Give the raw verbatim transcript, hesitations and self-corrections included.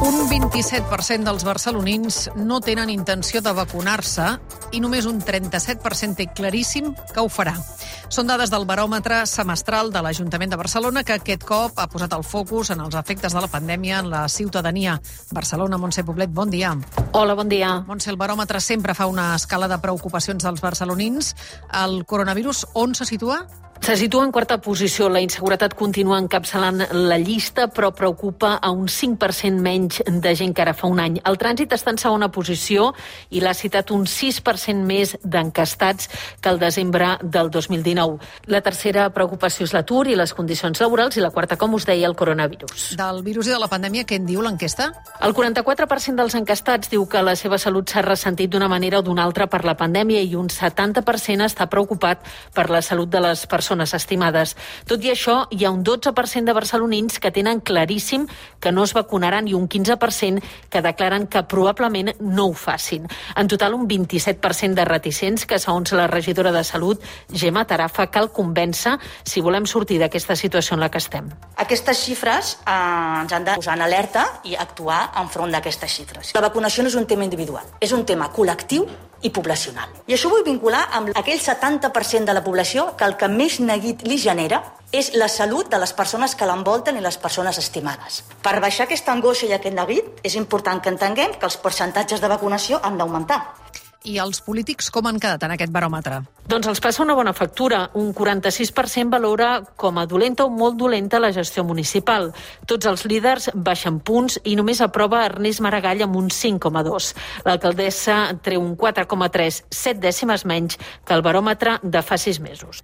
Un vint-i-set per cent dels barcelonins no tenen intenció de vacunar-se i només un trenta-set per cent té claríssim que ho farà. Són dades del baròmetre semestral de l'Ajuntament de Barcelona que aquest cop ha posat el focus en els efectes de la pandèmia en la ciutadania. Barcelona, Montse Poblet, bon dia. Hola, bon dia. Montse, el baròmetre sempre fa una escala de preocupacions dels barcelonins. El coronavirus on se situa? Se situa en quarta posició. La inseguretat continua encapçalant la llista, però preocupa a un cinc per cent menys de gent que ara fa un any. El trànsit està en segona posició i l'ha citat un sis per cent més d'encastats que el desembre del dos mil dinou. La tercera preocupació és l'atur i les condicions laborals i la quarta, com us deia, el coronavirus. Del virus i de la pandèmia, què en diu l'enquesta? El quaranta-quatre per cent dels encastats diu que la seva salut s'ha ressentit d'una manera o d'una altra per la pandèmia i un setanta per cent està preocupat per la salut de les persones estimades. Tot i això, hi ha un dotze per cent de barcelonins que tenen claríssim que no es vacunaran i un quinze per cent que declaren que probablement no ho facin. En total, un vint-i-set per cent de reticents que, segons la regidora de Salut, Gemma Tarafa, cal convèncer si volem sortir d'aquesta situació en la que estem. Aquestes xifres eh, ens han de posar en alerta i actuar enfront d'aquestes xifres. La vacunació no és un tema individual, és un tema col·lectiu i poblacional. I això ho vull vincular amb aquell setanta per cent de la població que el que més neguit li genera és la salut de les persones que l'envolten i les persones estimades. Per baixar aquesta angoixa i aquest neguit és important que entenguem que els percentatges de vacunació han d'augmentar. I els polítics com han quedat en aquest baròmetre? Doncs els passa una bona factura. Un quaranta-sis per cent valora com a dolenta o molt dolenta la gestió municipal. Tots els líders baixen punts i només aprova Ernest Maragall amb un cinc coma dos. L'alcaldessa treu un quatre coma tres, set dècimes menys que el baròmetre de fa sis mesos.